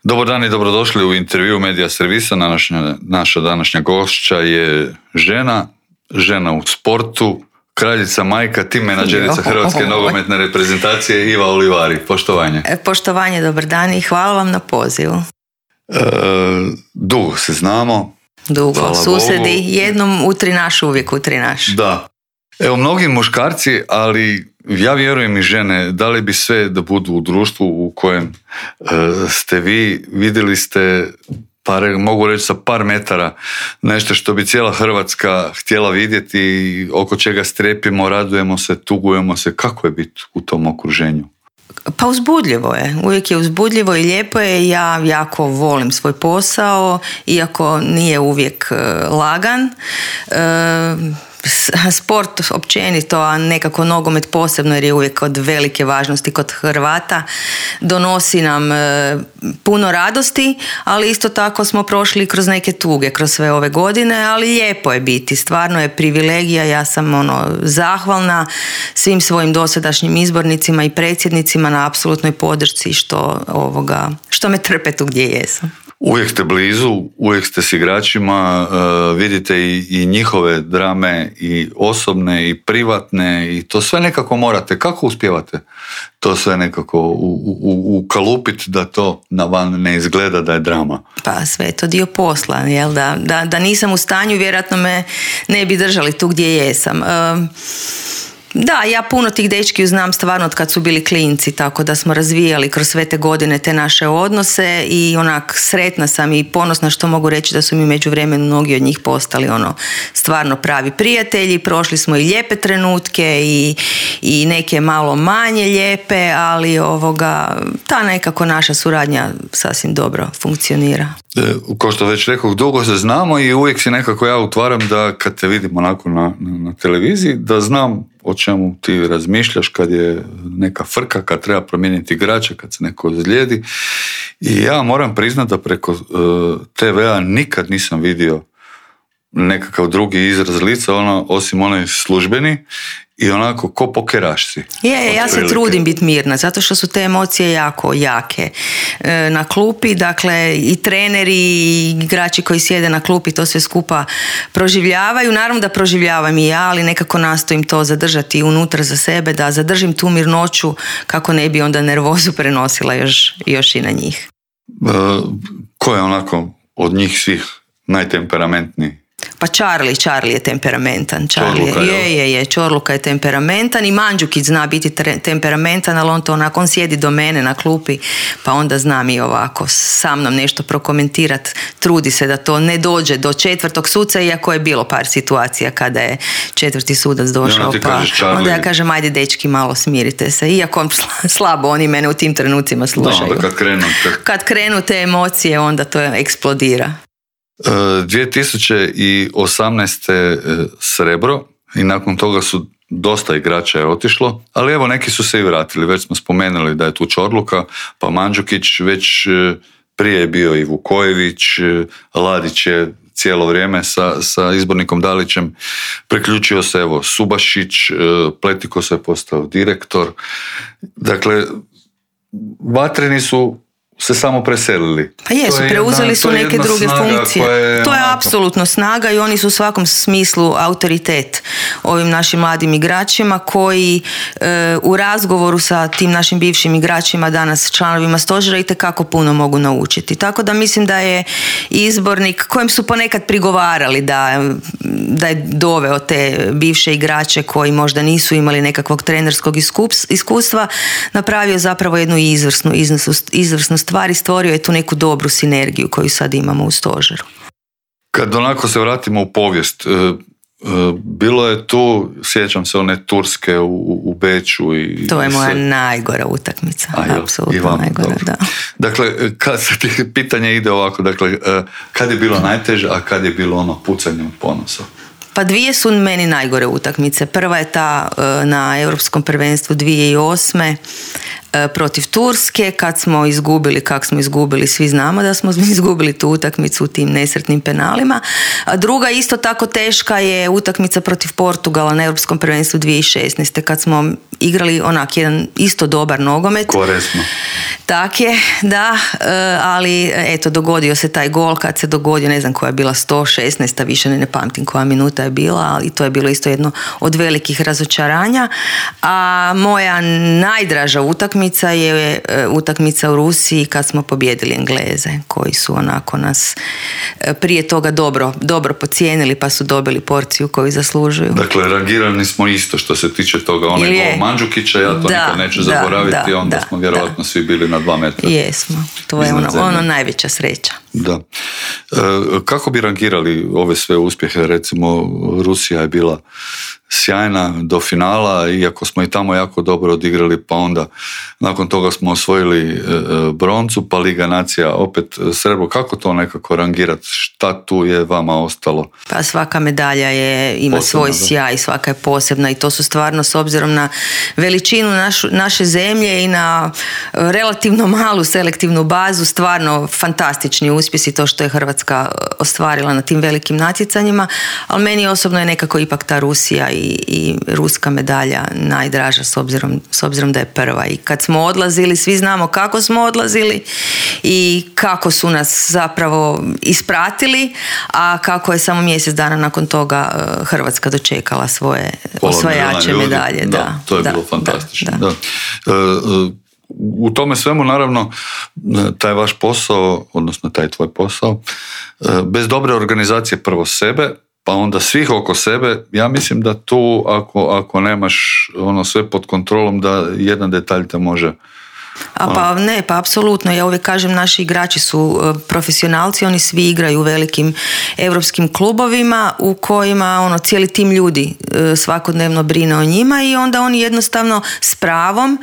Dobar dan i dobrodošli u intervju Medija servisa. Naša današnja gošća je žena u sportu, kraljica majka, tim menadžerica Hrvatske nogometne reprezentacije Iva Olivari. Poštovanje. Poštovanje, dobar dan i hvala vam na pozivu. Dugo se znamo. Dugo, hvala susedi, Bogu. Jednom utri naš, uvijek utri naš. Da. Evo, mnogi muškarci, ali ja vjerujem i žene, dali bi sve da budu u društvu u kojem ste vi, vidjeli ste mogu reći sa par metara, nešto što bi cijela Hrvatska htjela vidjeti, oko čega strepimo, radujemo se, tugujemo se. Kako je biti u tom okruženju? Pa uzbudljivo je, uvijek je uzbudljivo i lijepo je. Ja jako volim svoj posao, iako nije uvijek lagan. Sport općenito, a nekako nogomet posebno, jer je uvijek od velike važnosti kod Hrvata, donosi nam puno radosti, ali isto tako smo prošli kroz neke tuge kroz sve ove godine, ali lijepo je biti, stvarno je privilegija. Ja sam zahvalna svim svojim dosadašnjim izbornicima i predsjednicima na apsolutnoj podršci što me trpe tu gdje jesam. Uvijek ste blizu, uvijek ste s igračima, vidite i njihove drame, i osobne i privatne, i to sve nekako morate. Kako uspijevate to sve nekako ukalupiti da to na van ne izgleda da je drama? Pa sve je to dio posla, jel? Da nisam u stanju, vjerojatno me ne bi držali tu gdje jesam. Da, ja puno tih dečki znam stvarno od kad su bili klinci, tako da smo razvijali kroz sve te godine te naše odnose i onak sretna sam i ponosna što mogu reći da su mi u međuvremenu mnogi od njih postali stvarno pravi prijatelji. Prošli smo i lijepe trenutke i neke malo manje lijepe, ali ta nekako naša suradnja sasvim dobro funkcionira. Kao što već rekao, dugo se znamo i uvijek si nekako ja utvaram da kad te vidim onako na televiziji, da znam o čemu ti razmišljaš kad je neka frka, kad treba promijeniti igrača, kad se neko ozlijedi. I ja moram priznati da preko TV-a nikad nisam vidio nekakav drugi izraz lica, osim onaj službeni, i onako ko pokeraš si. Ja se trudim biti mirna, zato što su te emocije jako jake na klupi, dakle i treneri i igrači koji sjede na klupi to sve skupa proživljavaju. Naravno da proživljavam i ja, ali nekako nastojim to zadržati unutra za sebe, da zadržim tu mirnoću kako ne bi onda nervozu prenosila još i na njih. Ko je onako od njih svih najtemperamentniji? Pa Charlie je temperamentan. Čorluka je temperamentan i Mandžukić zna biti temperamentan, ali on sjedi do mene na klupi, pa onda znam i ovako sa mnom nešto prokomentirati. Trudi se da to ne dođe do četvrtog suca, iako je bilo par situacija kada je četvrti sudac došao, pa onda ja kažem ajde dečki malo smirite se, iako slabo oni mene u tim trenucima slušaju. Da, kad krenu te emocije, onda to eksplodira. 2018. srebro i nakon toga su dosta igrača je otišlo, ali evo neki su se i vratili. Već smo spomenuli da je tu Čorluka, pa Mandžukić, već prije je bio i Vukojević, Ladić je cijelo vrijeme sa izbornikom Dalićem, priključio se evo Subašić, Pletiko se je postao direktor. Dakle, vatreni su se samo preselili. Pa jesu, preuzeli su neke druge funkcije. To je apsolutno snaga i oni su u svakom smislu autoritet ovim našim mladim igračima koji u razgovoru sa tim našim bivšim igračima, danas članovima stožera, itekako puno mogu naučiti. Tako da mislim da je izbornik kojem su ponekad prigovarali da je doveo te bivše igrače koji možda nisu imali nekakvog trenerskog iskustva, napravio zapravo jednu izvrsnu stvar i stvorio je tu neku dobru sinergiju koju sad imamo u stožeru. Kad onako se vratimo u povijest, bilo je tu, sjećam se one Turske u Beču. To je moja najgora utakmica, apsolutno najgora, da. Dakle, kad se pitanje ide ovako, dakle, kad je bilo najteže, a kad je bilo pucanje od ponosa? Pa dvije su meni najgore utakmice. Prva je ta na Europskom prvenstvu 2008. Protiv Turske, kad smo izgubili, svi znamo da smo izgubili tu utakmicu u tim nesretnim penalima. A druga isto tako teška je utakmica protiv Portugala na Europskom prvenstvu 2016. kad smo igrali onak jedan isto dobar nogomet. Koresno. Tak je, da, ali eto, dogodio se taj gol, kad se dogodio, ne znam koja je bila 116, više ne pamtim koja minuta je bila, ali to je bilo isto jedno od velikih razočaranja. A moja najdraža utakmica je utakmica u Rusiji kad smo pobijedili Engleze, koji su onako nas prije toga dobro pocijenili, pa su dobili porciju koju zaslužuju. Dakle, rangirani smo isto što se tiče toga. Onaj gol Mandžukića, ja to nikad neću zaboraviti, onda smo vjerovatno svi bili na 2 metra. Jesmo, to je ono najveća sreća. Da. Kako bi rangirali ove sve uspjehe? Recimo, Rusija je bila sjajna do finala, iako smo i tamo jako dobro odigrali, pa onda nakon toga smo osvojili broncu, pa Liga nacija opet srebro. Kako to nekako rangirati? Šta tu je vama ostalo? Pa svaka medalja ima posebna, svoj sjaj, svaka je posebna i to su stvarno, s obzirom na veličinu naše zemlje i na relativno malu selektivnu bazu, stvarno fantastični uspjesi, to što je Hrvatska ostvarila na tim velikim natjecanjima, ali meni osobno je nekako ipak ta Rusija i ruska medalja najdraža, s obzirom da je prva. I kad smo odlazili, svi znamo kako smo odlazili i kako su nas zapravo ispratili, a kako je samo mjesec dana nakon toga Hrvatska dočekala svoje osvajače medalje. Da, to je bilo fantastično. Da. U tome svemu, naravno, taj vaš posao, odnosno taj tvoj posao, bez dobre organizacije prvo sebe, pa onda svih oko sebe, ja mislim da tu ako nemaš ono sve pod kontrolom, da jedan detalj te može... Pa apsolutno. Ja uvijek kažem, naši igrači su profesionalci, oni svi igraju u velikim europskim klubovima u kojima cijeli tim ljudi svakodnevno brine o njima i onda oni jednostavno s pravom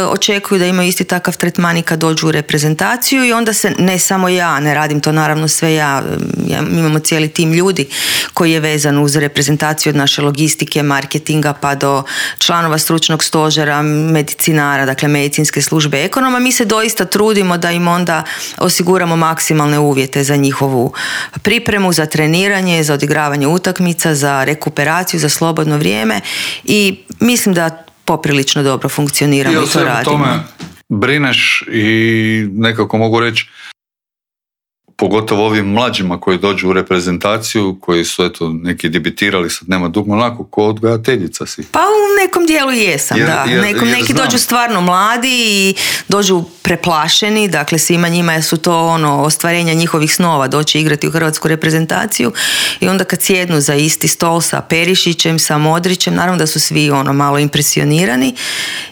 očekuju da imaju isti takav tretman i kad dođu u reprezentaciju i onda se, ne samo ja, ne radim to naravno sve ja, imamo cijeli tim ljudi koji je vezan uz reprezentaciju od naše logistike, marketinga pa do članova stručnog stožera, medicinara, dakle medicinske službe, ekonoma. Mi se doista trudimo da im onda osiguramo maksimalne uvjete za njihovu pripremu, za treniranje, za odigravanje utakmica, za rekuperaciju, za slobodno vrijeme i mislim da poprilično dobro funkcioniramo i to radimo. Tome brineš i nekako mogu reći, pogotovo ovim mlađima koji dođu u reprezentaciju, koji su neki debitirali, sad nema dugmo, onako ko odgajateljica si. Pa u nekom dijelu jesam, neki dođu stvarno mladi i dođu preplašeni, dakle svima njima su to ostvarenja njihovih snova, doći igrati u hrvatsku reprezentaciju i onda kad sjednu za isti stol sa Perišićem, sa Modrićem, naravno da su svi malo impresionirani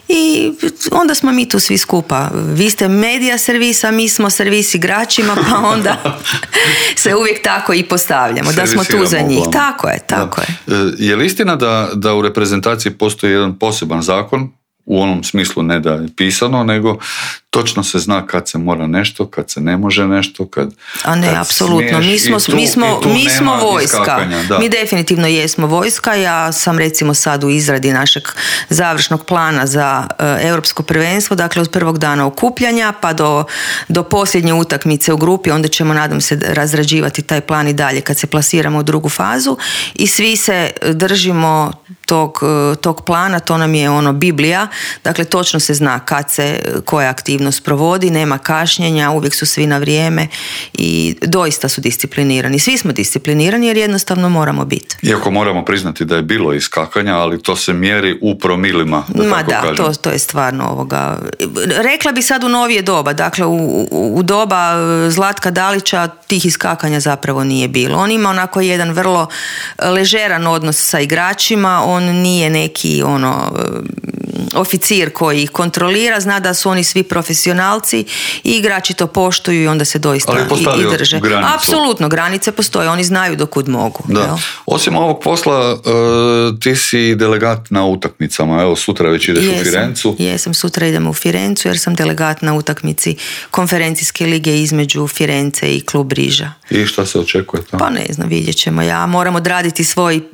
i onda smo mi tu svi skupa. Vi ste medija servisa, mi smo servis igračima, pa onda se uvijek tako i postavljamo, da smo tu za njih. Tako je. Je li istina da u reprezentaciji postoji jedan poseban zakon, u onom smislu ne da je pisano, nego točno se zna kad se mora nešto, kad se ne može nešto, kad apsolutno. Mi smo vojska. Mi definitivno jesmo vojska. Ja sam recimo sad u izradi našeg završnog plana za europsko prvenstvo, dakle od prvog dana okupljanja pa do posljednje utakmice u grupi, onda ćemo, nadam se, razrađivati taj plan i dalje kad se plasiramo u drugu fazu i svi se držimo tog plana, to nam je Biblija, dakle točno se zna kad se koja aktivnost provodi, nema kašnjenja, uvijek su svi na vrijeme i doista su disciplinirani. Svi smo disciplinirani jer jednostavno moramo biti. Iako moramo priznati da je bilo iskakanja, ali to se mjeri u promilima, to je stvarno rekla bi sad u novije doba, dakle u doba Zlatka Dalića tih iskakanja zapravo nije bilo. On ima onako jedan vrlo ležeran odnos sa igračima, on nije neki oficir koji ih kontrolira, zna da su oni svi profesionalci i igrači to poštuju i onda se doista i drže. Granicu. Apsolutno, granice postoje, oni znaju dokud mogu. Da. Jel? Osim ovog posla, ti si delegat na utakmicama, evo sutra već ideš u Firencu. Jesam, sutra idem u Firencu jer sam delegat na utakmici konferencijske lige između Firence i klub Riža. I šta se očekuje tamo? Pa ne znam, vidjet ćemo. Ja moram odraditi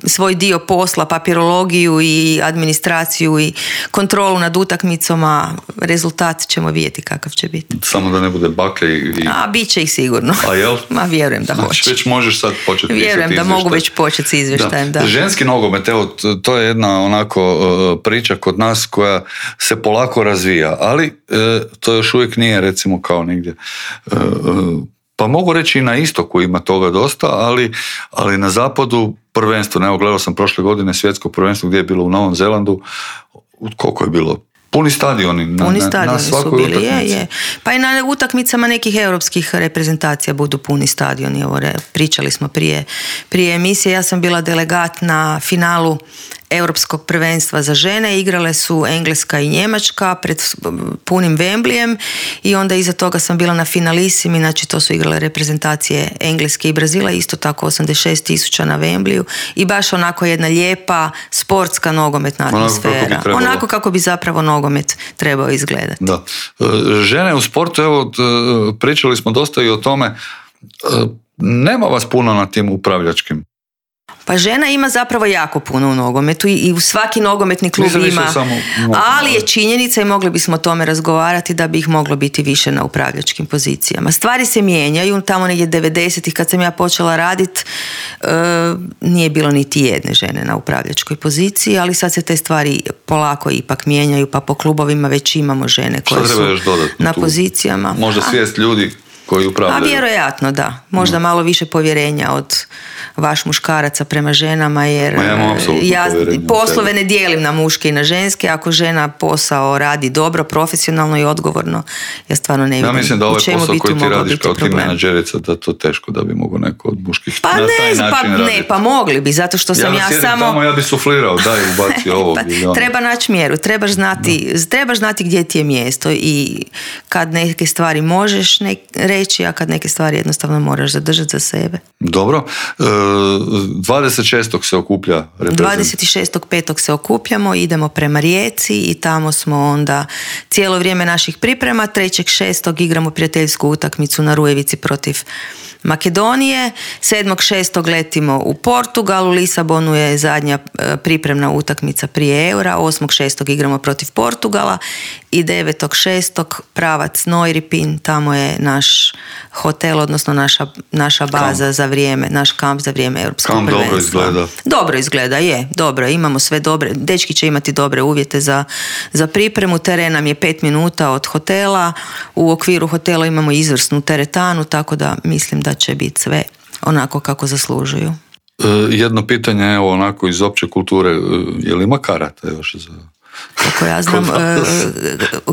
svoj dio posla, papirologiju i administraciju i kontrolu kontrolu nad utakmicom, a rezultat ćemo vidjeti kakav će biti. Samo da ne bude bakle i... A, bit će ih sigurno. A jel? Ma, vjerujem da hoće. Već možeš sad početi pisati izvještaj. Vjerujem da mogu već početi s izvještajem, da. Ženski nogomet, evo, to je jedna onako priča kod nas koja se polako razvija, ali to još uvijek nije recimo kao negdje... Pa mogu reći i na istoku ima toga dosta, ali na zapadu prvenstveno, evo gledao sam prošle godine svjetsko prvenstvo gdje je bilo u Novom Zelandu, koliko je bilo? Puni stadioni na svakoj su bili, utakmici. Je. Pa i na utakmicama nekih europskih reprezentacija budu puni stadioni. Evo, pričali smo prije emisije, ja sam bila delegat na finalu Europskog prvenstva za žene, igrale su Engleska i Njemačka pred punim Wembleyem i onda iza toga sam bila na finalisimi, znači to su igrale reprezentacije Engleske i Brazila, isto tako 86.000 na Wembleyu i baš onako jedna lijepa sportska nogometna atmosfera. Onako kako bi zapravo nogomet trebao izgledati. Da. Žene u sportu, evo, pričali smo dosta i o tome, nema vas puno na tim upravljačkim. Pa žena ima zapravo jako puno u nogometu i u svaki nogometni klub ima, ali je činjenica i mogli bismo o tome razgovarati da bi ih moglo biti više na upravljačkim pozicijama. Stvari se mijenjaju, tamo negdje 90-ih kad sam ja počela raditi nije bilo niti jedne žene na upravljačkoj poziciji, ali sad se te stvari polako ipak mijenjaju, pa po klubovima već imamo žene koje su na pozicijama. Možda svijest ljudi koji upravljaju. A vjerojatno da. Možda malo više povjerenja od vaš muškaraca prema ženama, jer ja poslove ne dijelim na muške i na ženske. Ako žena posao radi dobro, profesionalno i odgovorno, ja stvarno ne vidim. Ja mislim da ovaj posao koji ti radiš kao ti menadžerica, da to teško da bi mogo neko od muških pa na taj način raditi. Pa mogli bi, zato što sam ja samo... Tamo ja bi suflirao, daj ubaci ovo. Treba naći mjeru, trebaš znati gdje ti je mjesto i kad neke stvari možeš reći, a kad neke stvari jednostavno moraš zadržati za sebe. Dobro. 26. se okuplja reprezentacija. 26.5. se okupljamo, idemo prema Rijeci i tamo smo onda cijelo vrijeme naših priprema. 3.6. igramo prijateljsku utakmicu na Rujevici protiv Makedonije. 7.6. letimo u Portugal, u Lisabonu je zadnja pripremna utakmica prije Eura. 8.6. igramo protiv Portugala i 9.6. pravac Neuripin, tamo je naš hotel, odnosno naša baza za vrijeme, naš kamp za vrijeme europskog prvenstva. Dobro izgleda. Dobro izgleda, je, dobro, imamo sve dobre, dečki će imati dobre uvjete za pripremu, teren nam je 5 minuta od hotela, u okviru hotela imamo izvrsnu teretanu, tako da mislim da će biti sve onako kako zaslužuju. Jedno pitanje, evo, onako iz opće kulture, je li ima karata još za...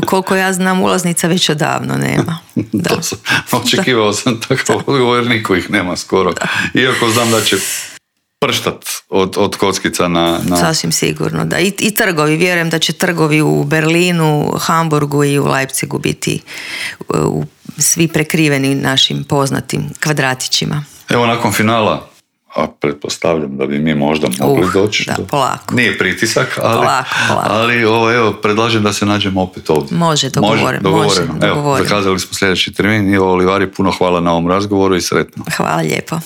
Koliko ja znam, ulaznica već odavno nema. Da. Očekivao sam takav odgovor, niko ih nema skoro. Iako znam da će prštat od kockica na... Sasvim sigurno, da. I trgovi, vjerujem da će trgovi u Berlinu, Hamburgu i u Leipzigu biti svi prekriveni našim poznatim kvadratićima. Evo, nakon finala, a pretpostavljam da bi mi možda mogli doći. Da, polako. Nije pritisak, ali, polako. Ali evo, predlažem da se nađemo opet ovdje. Može, dogovoreno. Evo, zakazali smo sljedeći termin. Ivo Olivari, puno hvala na ovom razgovoru i sretno. Hvala lijepo.